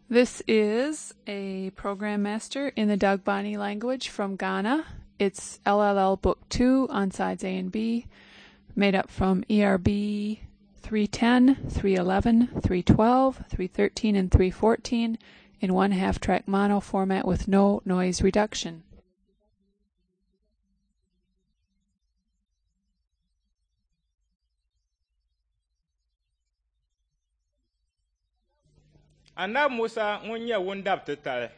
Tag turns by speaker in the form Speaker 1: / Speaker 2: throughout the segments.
Speaker 1: This is a program master in the Dagbani language from Ghana. It's LLL Book 2 on sides A and B, made up from ERB 310, 311, 312, 313, and 314 in one half track mono format with no noise reduction.
Speaker 2: Anabi Musa ŋun nyɛ wundab titali.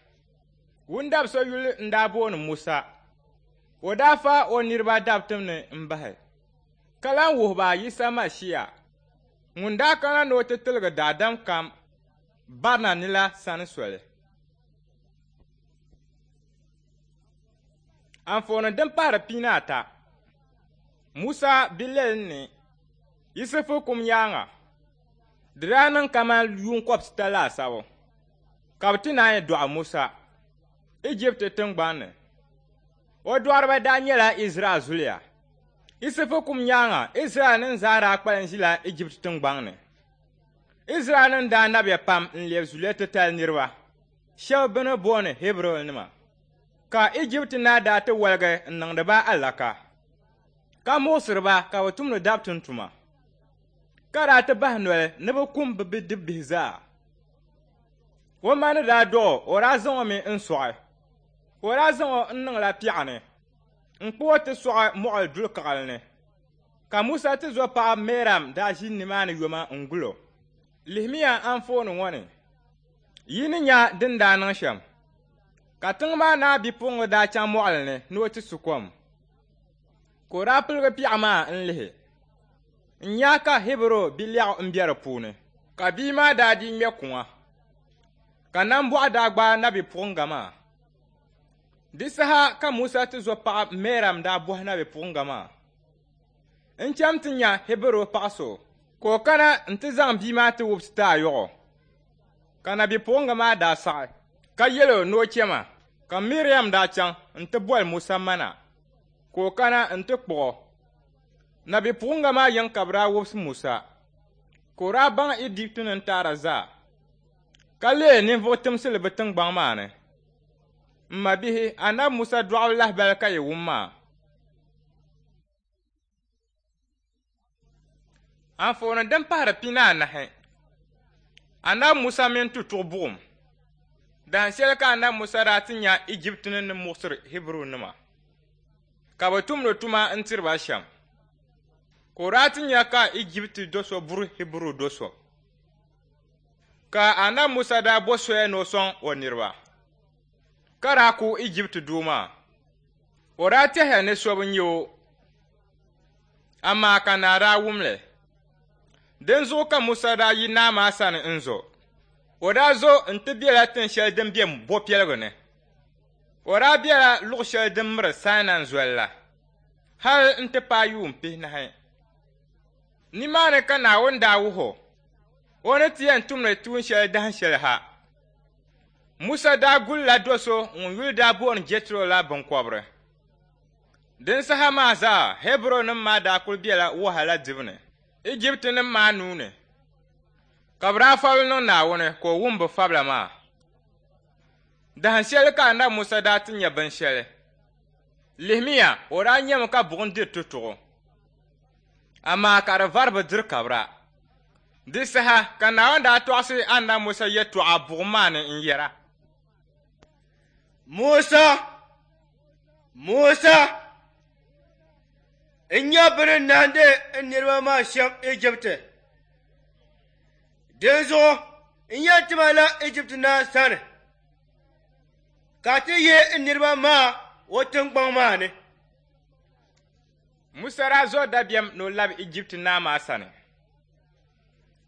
Speaker 2: Wundab so yuli n-daa booni Musa. O daa fa o niriba dabitim ni m-bahi, ka lan wuhi ba Yisa Mashia ŋun daa kana ni o ti tiligi daadam kam barina ni la sani soli. Anfooni din pahiri pinaata. Musa bilɛli ni Yisifu kum nyaaŋa. Di daa niŋ kaman yuun kɔbisita laasabu ka bɛ ti naanyi dɔɣi Musa Ijipti tiŋgbani ni. O dɔɣiriba daa nyɛla Izraɛl zuliya. Yisifu kum nyaaŋa, Izraɛlnim zaa daa kpalim ʒila Ijipti tiŋgbɔŋ ni. Izraɛlnim daa nabiya pam n-lebi zuliya titali niriba, shɛba bɛ ni booni Hiburunima. Ka Ijipti naa daa ti woligi n-niŋdi ba alaka, ka muɣisiri ba ka bɛ tumdi dabitim tuma, ka daa ti bahi noli ni bɛ kum bɛ bidibbihi zaa. O ma ni daa dɔɣ o, o daa zaŋ o mi n-sɔɣi. O daa zaŋ o n-niŋla piɛɣu ni n-kpuɣ o ti sɔɣi mɔɣili duli kaɣili ni. Ka Musa tizɔpaɣa Mɛriam daa ʒi nimaani yoma n-gul o. Lihimiya anfooni ŋɔ ni, yi ni nya din daa niŋ shɛm. Ka tiŋ maa naa bipuɣiŋga daa chaŋ mɔɣili ni ni o ti su kom. Ka o daa piligi piɛɣu maa n-lihi n-nya ka Hiburu bilɛɣu m-be di puuni. Ka bia maa daa dii ŋme kuŋa, ka nambɔɣu daa gbaai nabipuɣiŋga maa. Di saha ka Musa tizɔpaɣa Mɛriam daa bɔhi nabipuɣiŋga maa, N cham ti nya Hiburu paɣ so, ka o kana nti zaŋ bia maa ti wubisi ti a yɔɣɔ. Ka nabipuɣiŋga maa daa saɣi, ka yɛl o ni o chama. Ka Miriam daa chaŋ nti boli Musa ma na, ka o kana nti kpuɣ o. Nabipuɣiŋga maa yiŋ ka bɛ daa wubisi Musa, ka o daa baŋ Ijiptinim taara zaa, ka leei ninvuɣ timsili bɛ tiŋgbɔŋ maa ni. M mabihi, Anabi Musa dɔɣibu lahibali ka yi wum maa. Anfooni din pahiri pinaanahi. Anabi Musa mini tutuɣu buɣim. Dahin shɛli ka Anabi Musa daa ti nya Ijiptinim ni muɣisiri Hiburunima ka bɛ tumdi tuma n-tiri ba shɛm. Ka o daa ti nya ka Ijipti do so buri Hiburu do so. Ka Anabi Musa daa bo soya ni o sɔŋ o niriba, ka daa ku Ijipti doo maa. O daa tɛhiya ni so bi nya o, amaa ka naa daa wum li. Dinzuɣu ka Musa daa yi naa maa sani n-zo. O daa zo nti bela tin shɛli din be bɔpiɛligu ni. O daa bela luɣ shɛli din miri Sainai Zoli la hal nti paai yuun pihinahi. Nimaani ka Naawuni daa wuh o o ni ti yɛn tumdi tuun shɛli dahin shɛli ha. Musa daa gulila do so ŋun yuli daa booni Jɛtro la biŋkɔbiri. Din saha maa zaa Hiburunim maa daa kul bela wahala dibu ni Ijiptinim maa nuu ni, ka bɛ daa fabili niŋ Naawuni ka o wum bɛ fabila maa. Dahin shɛli ka Anabi Musa daa ti nya binshɛli. Lihimiya, o daa nyami ka buɣim diri tutuɣu, amaa ka di vari bi diri kabira. Di saha ka Naawuni daa tɔɣisi Anabi Musa yɛtɔɣa buɣim maa ni n-yɛra,
Speaker 3: Musa! Musa! N nya bɛ ni nahindi n niriba maa shɛm Ijipti. Dinzuɣu n yɛn tim a la Ijipti naa sani, ka a ti yihi n niriba maa o tiŋgbɔŋ maa ni.
Speaker 2: Musa daa zo dabiɛm ni o labi Ijipti naa maa sani.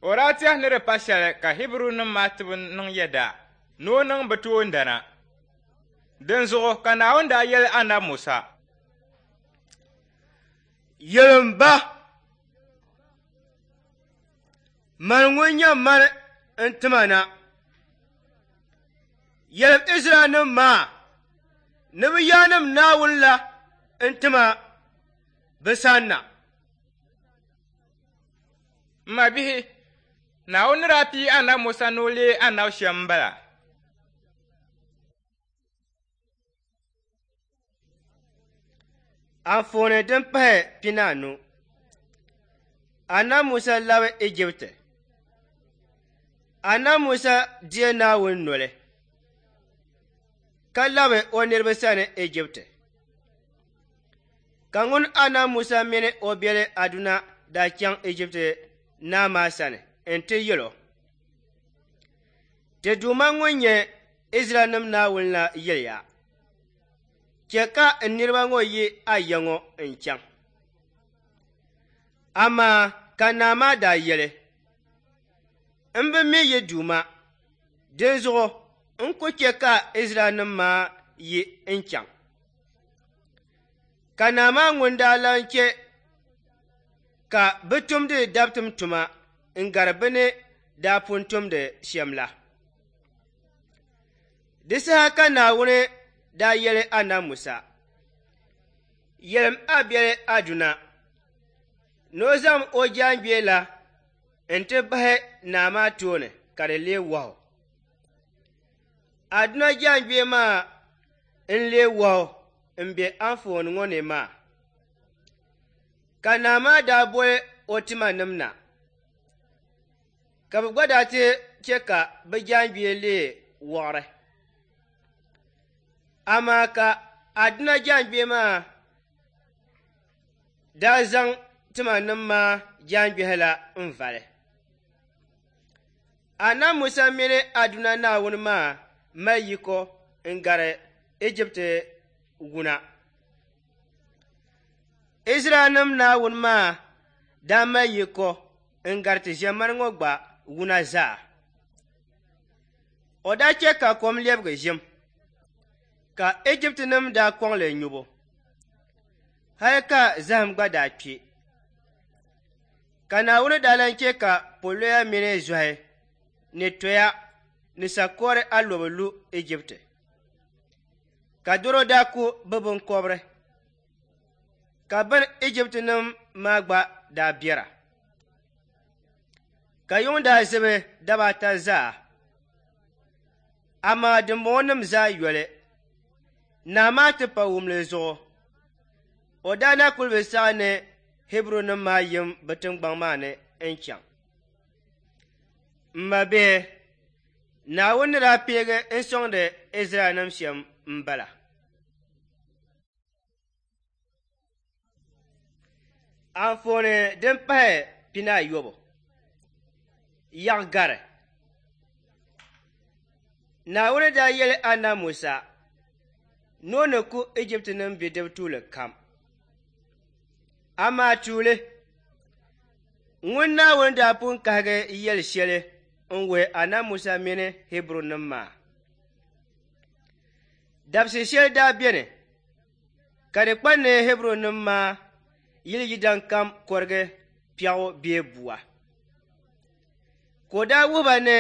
Speaker 2: O daa tɛhi ni di pa shɛli ka Hiburunim maa ti bi niŋ yɛda ni o niŋ bɛ toondana. Dinzuɣu ka Naawuni daa yɛli Anabi Musa,
Speaker 3: Yɛlim ba, Mani ŋun nyɛ mani n-tima na. Yɛlim Izraɛlnim maa ni bɛ yaannim Naawuni la n-tima bɛ sanna.
Speaker 2: M mabihi, Naawuni ni daa pii Anabi Musa ni o leei anabi shɛm m-bala.
Speaker 3: Anfooni din pahi 15. Annabi Musa labi Ijipti. Annabi Musa deei Naawuni noli ka labi o niriba sani Ijipti. Ka ŋun Annabi Musa mini o biɛli Aduna daa chaŋ Ijipti naa maa sani nti yɛl o, Ti Duuma ŋun nyɛ Izraɛlnim Naawuni la yɛliya, Chɛ ka n niriba ŋɔ yi a ya ŋɔ n-chaŋ. Amaa ka naa maa daa yɛli, M bi mi yi Duuma, dinzuɣu n ku chɛ ka Izraɛlnim maa yi n-chaŋ. Ka naa maa ŋun daa lan chɛ ka bɛ tumdi dabitim tuma n-gari bɛ ni daa pun tumdi shɛm la. Di saha ka Naawuni daa yɛli Anabi Musa, Yɛlim a biɛli Aduna ni o zaŋm o jaaŋgbee la nti bahi naa maa tooni ka di leei wɔhu. Aduna jaaŋgbee maa n-leei wɔhu m-be anfooni ŋɔ ni maa. Ka naa maa daa boli o timanim na, ka bɛ gba daa ti chɛ ka bɛ jaaŋgbee leei wɔɣiri. Amaa ka Aduna jaaŋgbee maa daa zaŋ timanim maa jaaŋgbɛhi la n-vali. Anabi Musa mini Aduna Naawuni maa mali yiko n-gari Ijipti wuna. Izraɛlnim Naawuni maa daa mali yiko n-gari ti ʒiɛmani ŋɔ gba wuna zaa. O daa chɛ ka kom lɛbigi ʒim, ka Ijiptinim daa kɔŋ li nyubu, hal ka zahim gba daa kpi. Ka Naawuni daa lan chɛ ka poloya mini zɔhi ni toya ni sakɔri alɔbo lu Ijipti, ka dɔro daa ku bɛ biŋkɔbiri, ka bɛn Ijiptinim maa gba daa biɛra. Ka yuŋ daa zibi daba ata zaa, amaa dimbɔŋɔnim zaa yoli, naa maa tipawumli zuɣu, o daa na kul bi saɣi ni Hiburunim maa yim bɛ tiŋgbɔŋ maa ni n-chaŋ. M mabihi, Naawuni ni daa peegi n-sɔŋdi Izraɛlnim shɛm m-bala. Anfooni din pahi 18. Yaɣigari. Naawuni daa yɛli Anabi Musa ni o ni ku Ijiptinim bidib tuuli kam. Amaa tuuli, ŋun Naawuni daa pun kahigi yɛli shɛli n-wuhi Anabi Musa mini Hiburunim maa. Dabisi shɛli daa beni ka di kpa ni Hiburunim maa yili yidan kam kɔrigi piɛɣu bee bua. Ka o daa wuhi ba ni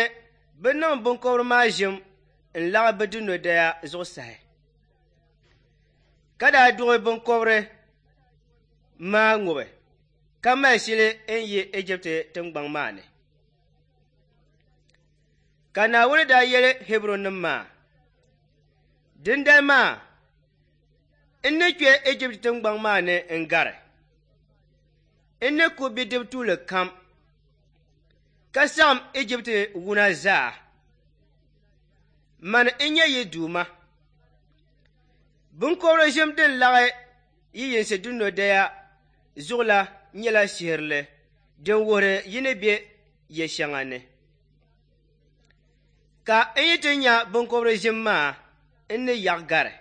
Speaker 3: bɛ niŋ biŋkɔbiri maa ʒim n-laɣi bɛ dunɔdaya zuɣusahi, ka daa duɣi biŋkɔbiri maa ŋubi ka mali shili n-yi Ijipti tiŋgbɔŋ maa ni. Ka Naawuni daa yɛli Hiburunim maa, Dindali maa n ni kpe Ijipti tiŋgbɔŋ maa ni n-gari. N ni ku bidib tuuli kam, ka saɣim Ijipti wuna zaa. Mani n-nyɛ yi Duuma. Biŋkɔbiri ʒim din laɣi yi yinsi dunɔdaya zuɣu la nyɛla shihirili din wuhiri yi ni be ya shɛŋa ni. Ka n yi ti nya biŋkɔbiri ʒim maa, n ni yaɣi gari,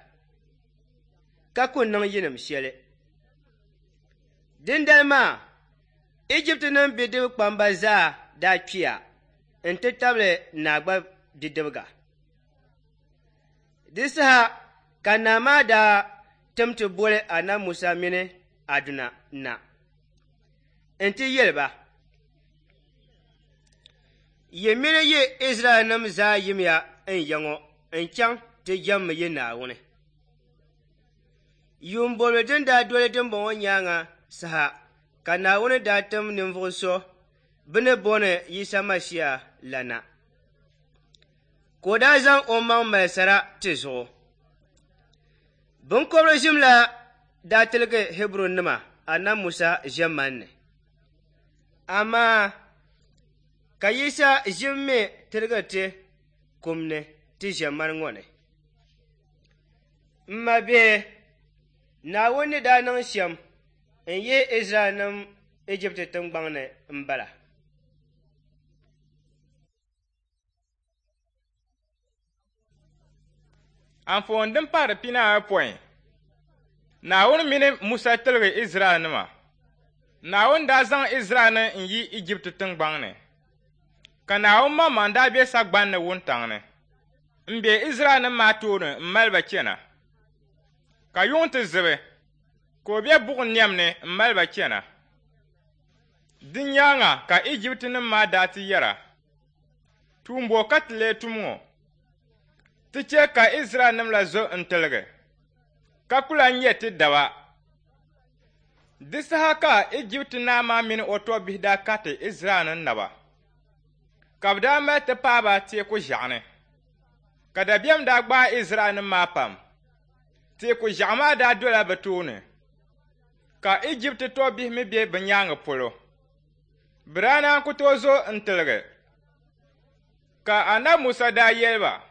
Speaker 3: ka ku niŋ yinim shɛli. Dindali maa, Ijiptinim bidib kpamba zaa daa kpiya nti tabili naa gba bidibiga. Di saha ka naa maa daa tim ti boli Anabi Musa mini Aduna na nti yɛli ba, Yi mini yi Izraɛlnim zaa yimiya n ya ŋɔ n-chaŋ ti jɛmmi yi Naawuni. Yuun bɔbili din daa doli dimbɔŋɔ nyaaŋa saha ka Naawuni daa tim ninvuɣ so bɛ ni booni Yisa Masia la na, ka o daa zaŋ omaŋ mali sara ti zuɣu. Biŋkɔbiri ʒim la daa tiligi Hiburunima Anabi Musa ʒiɛmani ni. Amaa ka Yisa ʒim mi tiligi ti kum ni ti ʒiɛmani ŋɔ ni. M mabihi, Naawuni ni daa niŋ shɛm n-yihi Izraɛlnim Ijipti tiŋgbɔŋ ni m-bala.
Speaker 2: Anfooni din pahiri pinaayopɔin, Naawuni mini Musa tiligi Izraɛlnima. Naawuni daa zaŋ Izraɛlnim n-yi Ijipti tiŋgbɔŋ ni, ka Naawuni maŋmaŋ daa be sagbani ni wuntaŋ ni m-be Izraɛlnim maa tooni m-mali ba chana. Ka yuŋ ti zibi, ka o be buɣim niɛm ni m-mali ba chana. Di nyaaŋa ka Ijiptinim maa daa ti yɛra, Tuumbo ka ti lee tum ŋɔ? Ti chɛ ka Izraɛlnim la zo n-tiligi, ka ku lan nyɛ ti daba. Di saha ka Ijipti naa maa mini o tɔbbihi daa kariti Izraɛlnim naba, ka bɛ daa mali ti paai ba Teeku Ʒiɛɣu ni. Ka dabiɛm daa gbaai Izraɛlnim maa pam. Teeku Ʒiɛɣu maa daa dola bɛ tooni, ka Ijipti tɔbbihi mi be bɛ nyaaŋa polo. Bɛ daa naan ku tooi zo n-tiligi. Ka Anabi Musa daa yɛli ba,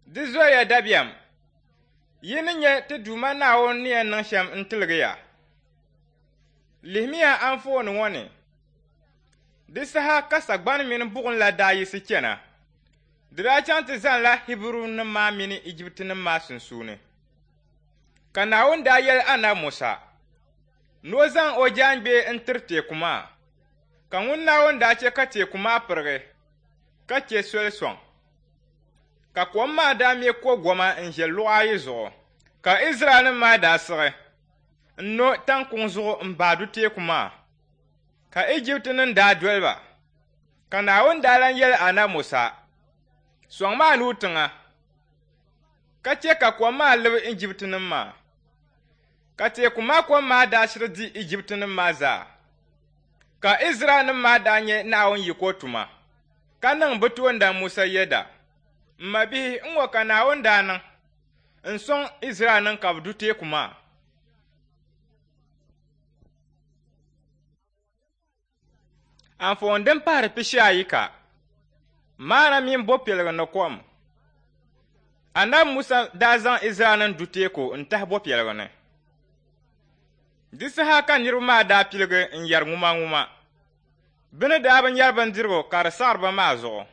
Speaker 2: Di zoya dabiɛm, yi ni nya ti Duuma Naawuni ni yɛn niŋ shɛm n-tiligi ya. Lihimiya anfooni ŋɔ ni. Di saha ka sagbani mini buɣim la daa yiɣisi chana. Di daa chaŋ ti zanila Hiburunim maa mini Ijiptinim maa sunsuuni. Ka Naawuni daa yɛli Anabi Musa ni o zaŋ o jaaŋgbee n-tiri teeku maa. Ka ŋun Naawuni daa chɛ ka teeku maa pirigi, ka chɛ soli sɔŋ. Ka kom maa daa me kogoma n-ʒe luɣa ayi zuɣu, ka Izraɛlnim maa daa siɣi n-no taŋkuŋ zuɣu m-baai du teeku maa, ka Ijiptinim daa doli ba. Ka Naawuni daa lan yɛli Anabi Musa, Sɔŋmi a nuu tiŋa, ka chɛ ka kom maa libi Ijiptinim maa. Ka teeku maa kom maa daa shiri di Ijiptinim maa zaa. Ka Izraɛlnim maa daa nya Naawuni yiko tuma, ka niŋ bɛ toondan Musa yɛda. M mabihi, n-ŋɔ ka Naawuni daa niŋ n-sɔŋ Izraɛlnim ka bɛ du teeku maa. Anfooni din pahiri pishi ayi ka, Maana mini bɔpiɛligu ni kom. Anabi Musa daa zaŋ Izraɛlnim du teeku n-tahi bɔpiɛligu ni. Di saha ka niriba maa daa piligi n-yɛri ŋumaŋuma. Bɛ ni daa bi nyari bindirigu ka di saɣiri ba maa zuɣu.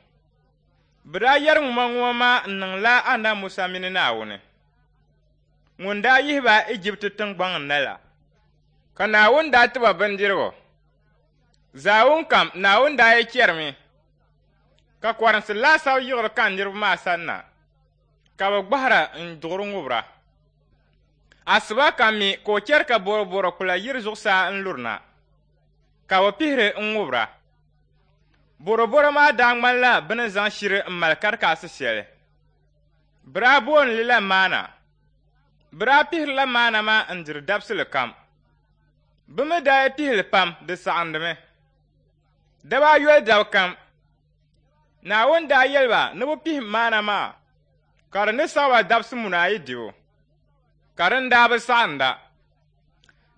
Speaker 2: Bɛ daa yɛri ŋumaŋuma maa n-niŋla Anabi Musa mini Naawuni ŋun daa yihi ba Ijipti tiŋgbɔŋ ni na la. Ka Naawuni daa ti ba bindirigu. Zaawuni kam Naawuni daa yi chɛrimi ka kɔrinsi laasabu yiɣiri ka niriba maa sanna, ka bɛ gbahira n-duɣiri ŋubira. Asiba kam mi ka o chɛri ka bɔrɔbɔro kpula yiri zuɣusaa n-luri na, ka bɛ pihiri n-ŋubira. Bɔrɔbɔro maa daa ŋmanila bɛ ni zaŋ shiri m-mali karikaasi shɛli. Bɛ daa booni li la maana. Bɛ daa pihirila maana maa n-diri dabisili kam. Bɛ mi daa yi pihi li pam, di saɣindimi. Daba ayoli daba kam, Naawuni daa yɛli ba ni bɛ pihim maana maa, ka di ni saɣi ba dabisi muna ayi dibu, ka din daa bi saɣinda.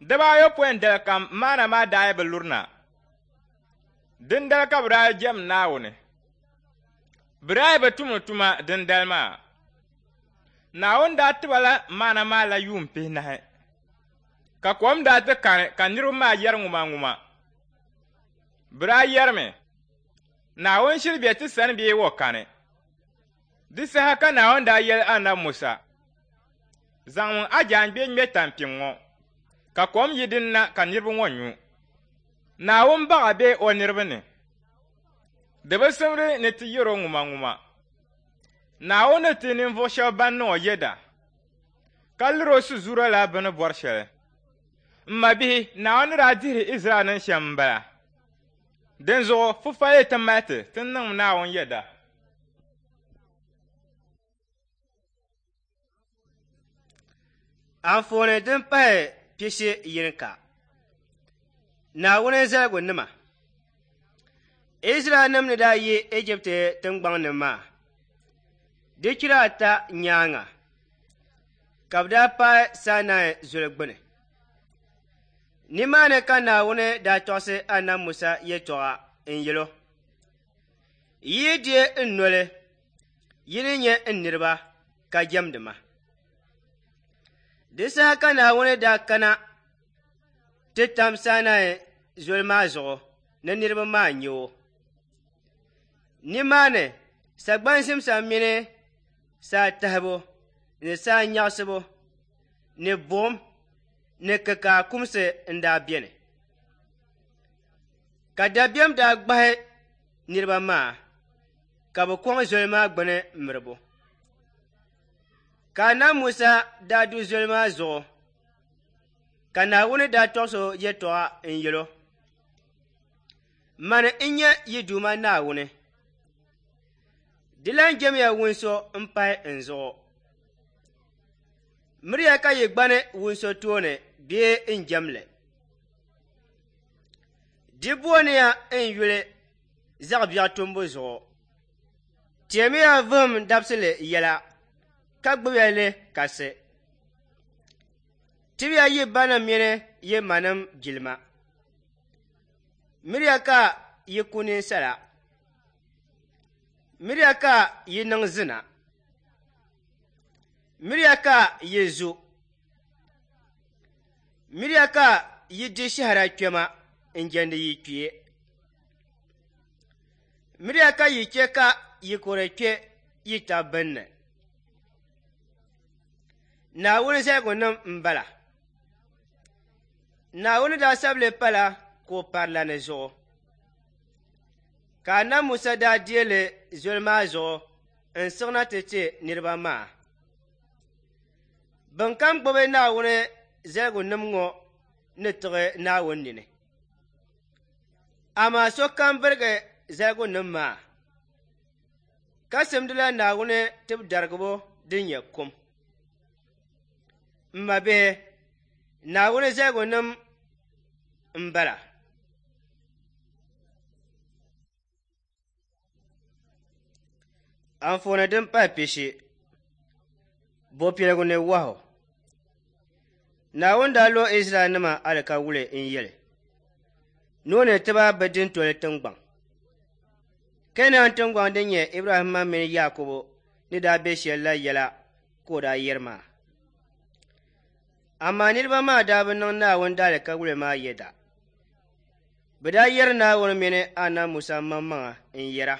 Speaker 2: Daba ayopɔin dali kam maana maa daa yi bi lurina. Dindali ka bɛ daa yi jɛm Naawuni. Bɛ daa yi bi tumdi tuma dindali maa. Naawuni daa ti ba la maana maa la yuun pihinahi. Ka kom daa ti kani ka niriba maa yɛri ŋumaŋuma. Bɛ daa yɛrimi, Naawuni shiri be ti sani bee o kani? Di saha ka Naawuni daa yɛli Anabi Musa, Zaŋmi a jaangbee ŋme tampiŋ ŋɔ, ka kom yi din na ka niriba ŋɔ nyu. Naawuni baɣa be o niriba ni. Di bi simdi ni ti yɛr o ŋumaŋuma. Naawuni ni ti ninvuɣ shɛb ban niŋ o yɛda, ka lir o sizuura la bɛ ni bɔri shɛli. M mabihi, Naawuni ni daa dihiri Izraɛlnim shɛm m-bala. Dinzuɣu fufali ti mali ti, ti niŋm Naawuni yɛda.
Speaker 3: Anfooni din pahi pishi yinika, Naawuni zaligunima. Izraɛlnim ni daa yi Ijipti tiŋgbɔŋ ni maa, di chira ata nyaaŋa ka bɛ daa paai Sainai Zoli gbini. Nimaani ka Naawuni daa tɔɣisi Anabi Musa yɛtɔɣa n-yɛl o, Yi yi deei n noli, yi ni nyɛ n niriba ka jɛmdi ma. Di saha ka Naawuni daa kana ti tam Sainai zoli maa zuɣu ni niriba maa nya o. Nimaani sagbani zimsa mini saa tahibu ni saa nyaɣisibu ni buɣim ni kikaa kumsi n-daa beni. Ka dabiɛm daa gbahi niriba maa ka bɛ kɔŋ zoli maa gbuni miribu. Ka Anabi Musa daa du zoli maa zuɣu ka Naawuni daa tɔɣis o yɛtɔɣa n-yɛl o, Mani n-nyɛ yi Duuma Naawuni. Di lan jɛmiya wun so m-pahi n zuɣu. Miriya ka yi gbani wun so tooni bee n-jɛm li. Di booniya n yuli zaɣ biɛɣu tumbu zuɣu. Teemiya vuhim dabisili yɛla, ka gbibiya li kasi. Tibiya yi banim mini yi manim jilima. Miriya ka yi ku ninsala. Miriya ka yi niŋ zina. Miriya ka yi zu. Miriya ka yi di shɛhira kpɛma n-jɛndi yi kpee. Miriya ka yi chɛ ka yi kɔre kpe yi tab bini ni. Naawuni zaligunim m-bala. Naawuni daa sabi li pala kuɣ parilani zuɣu. Ka Anabi Musa daa deei li zoli maa zuɣu n-siɣina ti ti niriba maa. Bɛnkam gbibi Naawuni zaligunim ŋɔ ni tiɣi Naawuni nini. Amaa sokam birigi zaligunim maa, ka simdila Naawuni tibidarigibo din nyɛ kum. M mabihi, Naawuni zaligunim m-bala. Anfooni din pahi pishi, Bɔpiɛligu ni wahu. Naawuni daa lo Izraɛlnima alikawuli n-yeli ni o ni ti ba bɛ dintoli tiŋgbaŋ. Keenan tiŋgbaŋ din nyɛ Ibrahimma mini Yaakubu ni daa be shɛl la yɛla ka o daa yɛri maa. Amaa niriba maa daa bi niŋ Naawuni daalikawuli maa yɛda. Bɛ daa yɛri Naawuni mini Anabi Musa maŋmaŋa n-yɛra,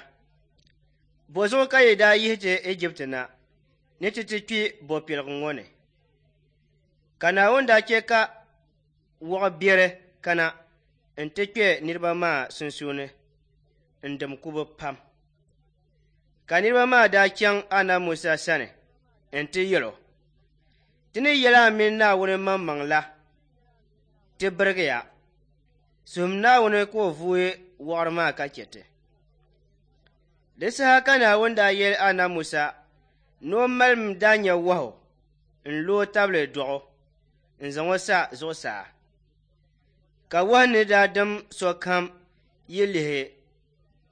Speaker 3: Bɔzuɣu ka yi daa yihi ti Ijipti na ni ti ti kpi bɔpiɛligu ŋɔ ni? Ka Naawuni daa chɛ ka wɔɣ biɛri kana nti kpe niriba maa sunsuuni n-dim ku bɛ pam. Ka niriba maa daa chaŋ Anabi Musa sani nti yɛl o, Ti ni yɛl a mini Naawuni maŋmaŋ la, ti birigiya. Suhim Naawuni ka o vuui wɔɣiri maa ka chɛ ti. Di saha ka Naawuni daa yɛli Anabi Musa ni o malim daanya wahu n-lo o tabili dɔɣu n-zaŋ o sa zuɣusaa. Ka wahu ni daa dim sokam yi lihi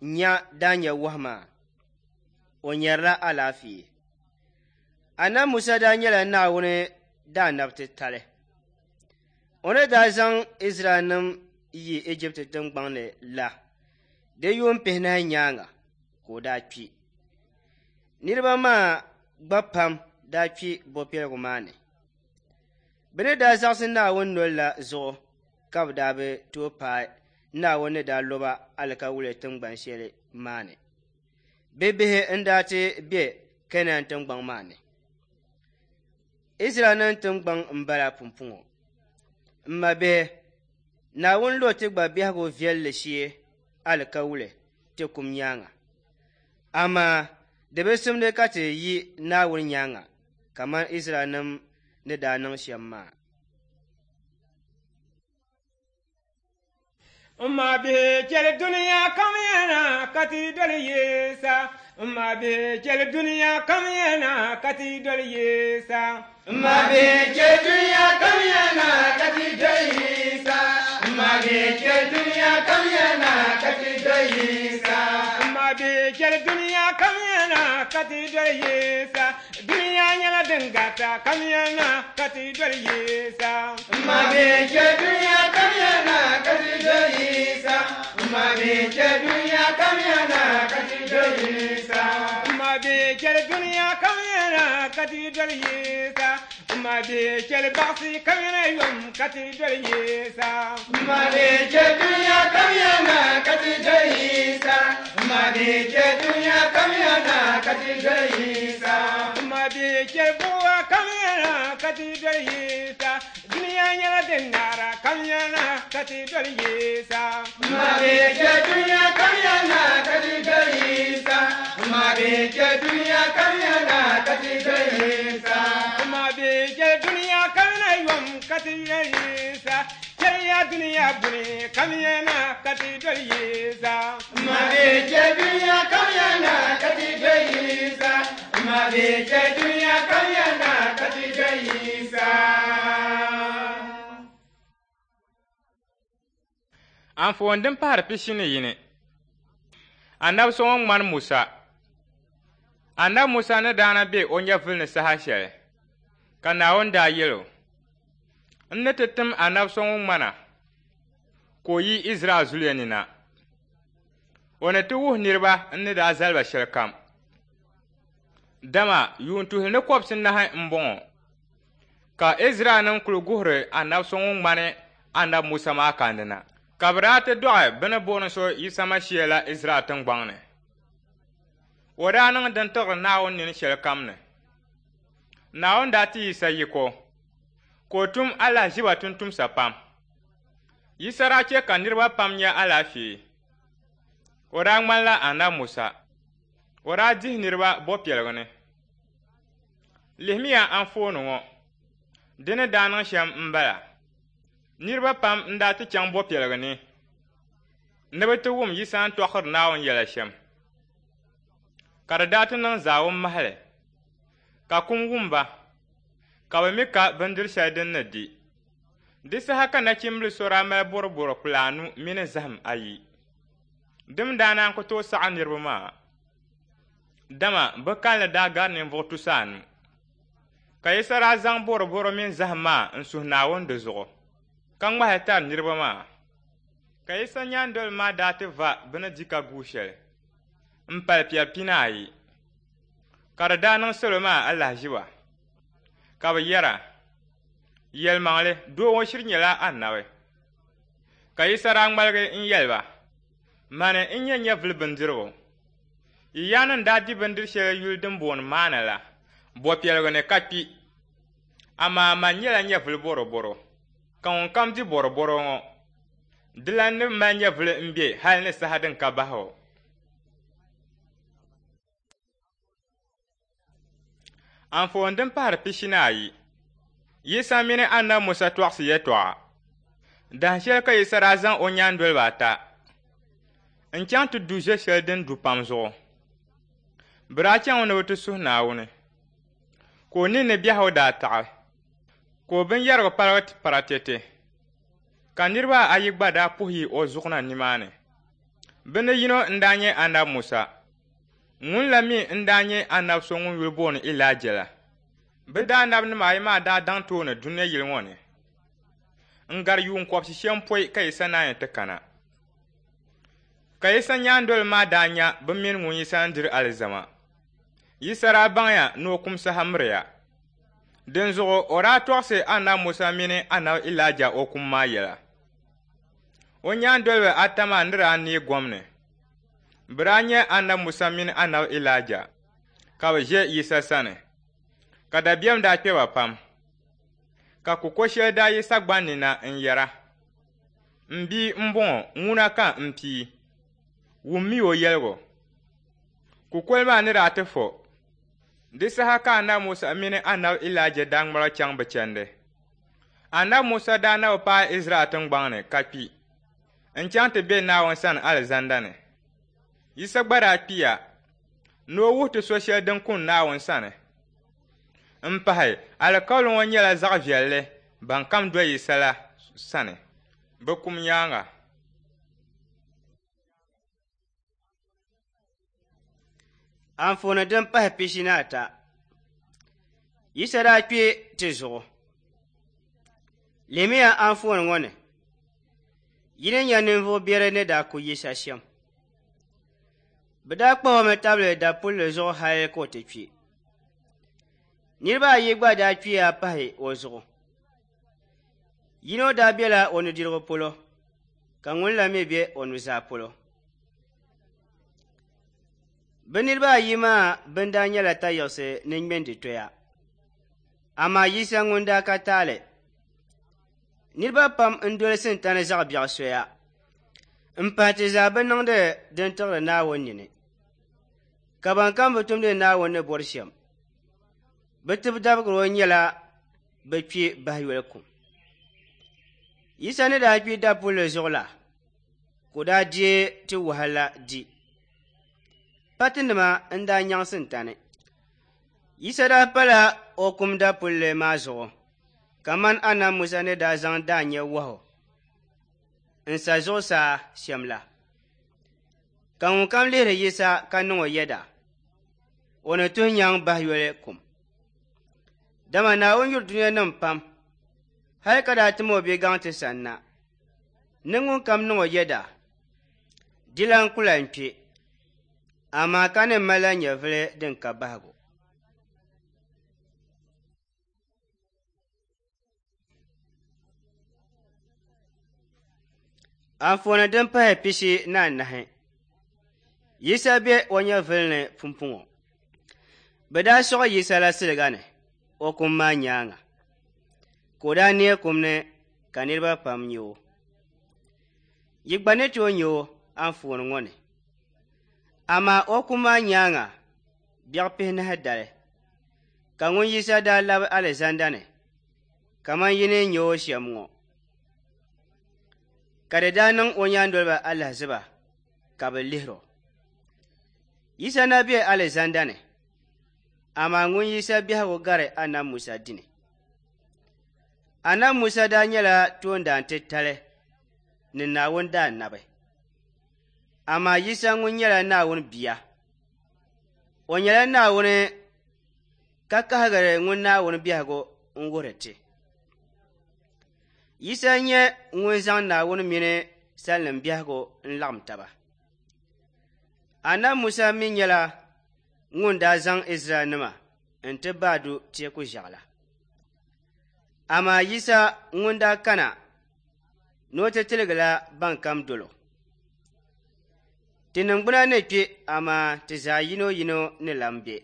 Speaker 3: nya daanya wahu maa, o nyarila alaafee. Anabi Musa daa nyɛla Naawuni daanabi titali. O ni daa zaŋ Izraɛlnim yi Ijipti tiŋgbɔŋ ni la, di yuun pihinahi nyaaŋa ka o daa kpi. Niriba maa gba pam daa kpi bɔpiɛligu maa ni. Bɛ ni daa zaɣisi Naawuni nol la zuɣu ka bɛ daa bi tooi paai Naawuni ni daa lo ba alikawuli tiŋgban shɛli maa ni. Bɛ bihi n-daa ti be Keenan tiŋgbɔŋ maa ni. Izraɛlnim tiŋgbɔŋ m-bala pumpɔŋɔ. M mabihi, Naawuni lo ti gba biɛhigu viɛlli shee alikawuli ti kum nyaaŋa. Amaa di bi simdi ka ti yi Naawuni nyaaŋa kaman Izraɛlnim ni daa niŋ shɛm maa.
Speaker 2: M mabihi chɛli dunia kam yɛna ka ti doli Yisa. M mabihi chɛli dunia kam yɛna ka ti doli Yisa.
Speaker 4: M mabihi chɛli dunia kam yɛna ka ti doli Yisa. M mabihi chɛli dunia kam yɛna ka ti doli Yisa.
Speaker 2: M mabihi chɛli dunia kam yɛna ka ti doli Yisa. Dunia
Speaker 4: Dunia nyɛla din garita kamiyana ka ti doli Yisa.
Speaker 2: Ma bɛ chɛ dunia kamiyana ka ti doli Yisa. Ma bɛ chɛ dunia kamiyana ka ti doli Yisa.
Speaker 4: Ma bɛ chɛ dunia kamiyana ka ti doli Yisa. Ma bɛ chɛ baɣisi kamiyana yom ka ti doli Yisa.
Speaker 2: Ma bɛ chɛ dunia kamiyana ka ti doli Yisa. Ma bɛ chɛ dunia kamiyana ka ti doli Yisa.
Speaker 4: Ma bɛ chɛ buɣa kamiyana ka ti doli Yisa. Dunia nyɛla din naara kamiyana ka ti doli Yisa.
Speaker 2: Ma bɛ chɛ dunia kamiyana ka ti doli Yisa. Ma bɛ chɛ dunia kamiyana ka ti doli Yisa.
Speaker 4: Ma bɛ chɛ dunia kamiyana yom ka ti doli Yisa. Chɛliya dunia buni kamiyana ka ti doli Yisa.
Speaker 2: Ma bɛ chɛ dunia kamiyana ka ti doli Yisa. Ma bɛ chɛ dunia kamiyana ka ti doli Yisa.
Speaker 4: Anfooni din pahari 41. Anabi so ŋun ŋmani Musa. Anabi Musa ni daa na be o nyɛvuli ni saha shɛli, ka Naawuni daa yɛl o, N ni ti tim anabi so ŋun ŋmana, ka o yi Izraɛl zuliya ni na. O ni ti wuhi niriba n ni daa zali ba shɛlikam. Dama yuun tuhili ni kɔbisinahi m-bɔŋɔ, ka Izraɛlnim kul guhiri anabi so ŋun ŋmani anabi Musa maa kandi na. Ka bɛ daa ti dɔɣi bɛ ni booni so Yisa Mashia la Izraɛl tiŋgbɔŋ ni. O daa niŋ din tiɣiri Naawuni nini shɛlikam ni. Naawuni daa ti Yisa yiko, ka o tum alahiziba tumtumsa pam. Yisa daa chɛ ka niriba pam nya alaafee. O daa ŋmanila anabi Musa. O daa dihi niriba bɔpiɛligu ni. Lihimiya anfooni ŋɔ. Di ni daa niŋ shɛm m-bala. Niriba pam n-daa ti chaŋ bɔpiɛligu ni ni bɛ ti wum Yisa ni tɔɣisiri Naawuni yɛla shɛm. Ka di daa ti niŋ zaawun mahali, ka kum wum ba, ka bɛ mi ka bindiri shɛli din ni di. Di saha ka nachimbili so daa mali bɔrɔbɔro kpula anu mini zahim ayi. Dim daa naan ku tooi saɣi niriba maa, dama bɛ kalinli daa gari ninvuɣ 500. Ka Yisa daa zaŋ bɔrɔbɔro mini zahim maa n-suhi Naawuni di zuɣu, ka ŋmahi tari niriba maa. Ka Yisa nyaandoliba maa daa ti va bɛ ni di ka guui shɛli m-pali piɛri 40. Ka di daa niŋ salo maa alahiziba, ka bɛ yɛra, Yɛlimaŋli, doo ŋɔ shiri nyɛla anabi. Ka Yisa daa ŋmaligi n-yɛli ba, Mani n-nyɛ nyɛvili bindirigu. Yi yaannim daa di bindiri shɛli yuli din booni maana la, bɔpiɛligu ni ka kpi. Amaa man nyɛla nyɛvili bɔrɔbɔro, ka ŋunkam di bɔrɔbɔro ŋɔ, dilan ni mali nyɛvili m-be hali ni saha din ka bahigu. Anfooni din pahari 42. Yisa mini anabi Musa tɔɣisi yɛtɔɣa. Dahin shɛli ka Yisa daa zaŋ o nyaandoliba ata n-chaŋ ti du ʒe shɛli din du pam zuɣu. Bɛ daa chaŋmi ni bɛ ti suhi Naawuni, ka o ninni biɛhigu daa taɣi, ka o binyɛrigu paligi paratɛte, ka niriba ayi gba daa puhi yi o zuɣu na nimaani. Bɛ ni yino n-daa nyɛ anabi Musa, ŋun la mi n-daa nyɛ anabi so ŋun yuli booni Ilaija la. Bɛ daanabinima ayi maa daa daŋ tooni dunia yili ŋɔ ni n-gari yuun kɔbisi pɔi ka Yisa naanyi ti kana. Ka Yisa nyaandoliba maa daa nya bɛ mini ŋun Yisa ni diri alizama. Yisa daa baŋya ni o kum saha miriya. Dinzuɣu o daa tɔɣisi anabi Musa mini anabi Ilaija o kum maa yɛla. O nyaandoliba ata maa ni daa neei gom ni, bɛ daa nya anabi Musa mini anabi Ilaija ka bɛ ʒe Yisa sani, ka dabiɛm daa kpe ba pam. Ka kuko shɛli daa yi sagbani ni na n-yɛra, M bia m-bɔŋɔ, ŋuna ka m pii. Wummi o yɛligu. Kukoli maa ni daa ti fo. Di saha ka anabi Musa mini anabi Ilaija daa ŋmaligi chaŋ bɛ chandi. Anabi Musa daa na bi paai Izraɛl tiŋgbɔŋ ni ka kpi n-chaŋ ti be Naawuni sani alizanda ni. Yisa gba daa kpiya ni o wuhi ti so shɛli din kun Naawuni sani. M-pahi, alikauli ŋɔ nyɛla zaɣ viɛlli ban kam doli Yisa la sani, bɛ kum nyaaŋa.
Speaker 3: Anfooni din pahi 43. Yisa daa kpi ti zuɣu. Lihimiya anfooni ŋɔ ni, yi ni nya ninvuɣ biɛri ni daa ku Yisa shɛm. Bɛ daa kpahi o mi tabili dapulli zuɣu hali ka o ti kpi. Niriba ayi gba daa kpiya pahi o zuɣu. Yino daa bela o nudirigu polo ka ŋun la mi be o nuzaa polo. Bɛ niriba ayi maa bɛn daa nyɛla tayiɣisi ni ŋmɛnditoya, amaa Yisa ŋun daa ka taali. Niriba pam n-doli Sintani zaɣ biɛɣu soya m-pahi ti zaa bi niŋdi din tiɣiri Naawuni nini, ka bankam bi tumdi Naawuni ni bɔri shɛm, bɛ tibidabigiro nyɛla bɛ kpi bahiyoli kum. Yisa ni daa kpi dapulli zuɣu la, ka o daa deei ti wahala di. Patinima n-daa nyaŋ Sintani. Yisa daa pala o kum dapulli maa zuɣu kamani Anabi Musa ni daa zaŋ daanya wahu n-sa zuɣusaa shɛm la. Ka ŋunkam lihiri Yisa ka niŋ o yɛda, o ni tuhi nyaŋ bahiyoli kum. Dama Naawuni yuri dunianim pam, hali ka daa tim o bigaŋ ti sanna, ni ŋunkam niŋ o yɛda, dilan ku lan kpi, amaa ka ni malila nyɛvili din ka bahigu. Anfooni din pahi 44. Yisa be o nyɛvili ni pumpɔŋɔ. Bɛ daa sɔɣi Yisa la siliga ni o kum maa nyaaŋa, ka o daa neei kum ni ka niriba pam nya o. Yi gba ni tooi nya o anfooni ŋɔ ni. Amaa o kum maa nyaaŋa biɛɣ pihinahi dali, ka ŋun Yisa daa labi alizanda ni kaman yi ni nya o shɛm ŋɔ. Ka di daa niŋ o nyaandoliba alahiziba ka bɛ lihir o. Yisa na be alizanda ni, amaa ŋun Yisa biɛhigu gari Anabi Musa dini. Anabi Musa daa nyɛla toondaan titali ni Naawuni daanabi. Amaa Yisa ŋun nyɛla Naawuni bia. O nyɛla Naawuni ka kahigiri ŋun Naawuni biɛhigu n-wuhiri ti. Yisa n-nyɛ ŋun zaŋ Naawuni mini salinim biɛhigu n-laɣim taba. Anabi Musa mi nyɛla ŋun daa zaŋ Izraɛlnima n-ti baadu teeku ʒiɛɣu la. Amaa Yisa ŋun daa kana ni o ti tiligila bankam dol o. Ti niŋgbuna ni kpi, amaa ti zaa yino yino ni lan be.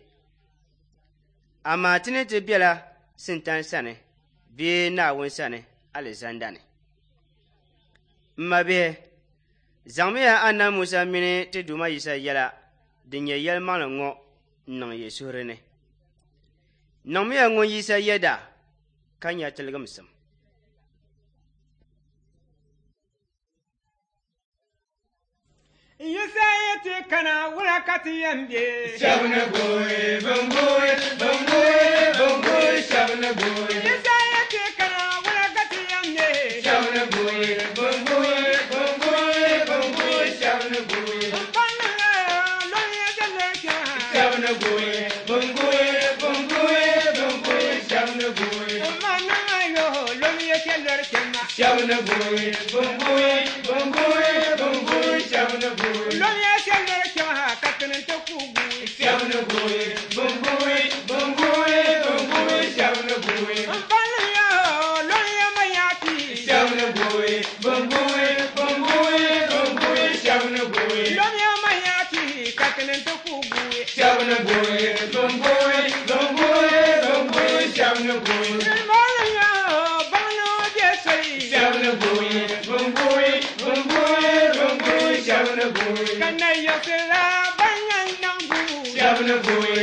Speaker 3: Amaa ti ni ti bela Sintani sani bee Naawuni sani alizanda ni. M mabihi, zaŋmiya Anabi Musa mini ti Duuma Yisa yɛla din nyɛ yɛlimaŋli ŋɔ n-niŋ yi suhuri ni. Niŋmiya ŋun Yisa yɛda ka nya tiligimsim.
Speaker 2: Yisa yi ti kana wula ka ti yɛn be?
Speaker 4: Shɛba ni guui, bɛn guui, bɛn guui, bɛn guui, shɛba ni guui.
Speaker 2: Yisa yi ti kana wula ka ti yɛn be?
Speaker 4: Shɛba ni guui, bɛn guui, bɛn guui, bɛn guui, shɛba ni guui.
Speaker 2: N paɣi lɔn ya jɛlli kpɛma.
Speaker 4: Shɛba ni guui, bɛn guui, bɛn guui, bɛn guui, shɛba ni guui.
Speaker 2: N ma niŋ yo lɔn ya jɛlli kpɛma.
Speaker 4: Shɛba ni guui, bɛn guui, bɛn guui, bɛn guui, shɛba ni guui.
Speaker 2: Lɔn ya jɛlli kpɛma ka tini ti ku guui.
Speaker 4: Shɛba ni guui, bɛn guui, bɛn guui, bɛn guui, shɛba ni guui.
Speaker 2: N paɣi yo lɔn ya ma yaati.
Speaker 4: Shɛba ni guui, bɛn guui, bɛn guui, bɛn guui, shɛba ni guui.
Speaker 2: Lɔn ya ma yaati ka tini ti ku guui.
Speaker 4: Shɛba ni guui, bɛn guui, bɛn guui, bɛn guui, shɛba ni guui.
Speaker 2: N paɣi yo baŋ ni o bɛ soli.
Speaker 4: Shɛba ni guui, bɛn guui, bɛn guui, bɛn guui, shɛba ni guui.
Speaker 2: Ka na yiɣisi la ban yɛn niŋ guui.
Speaker 4: Shɛba ni guui,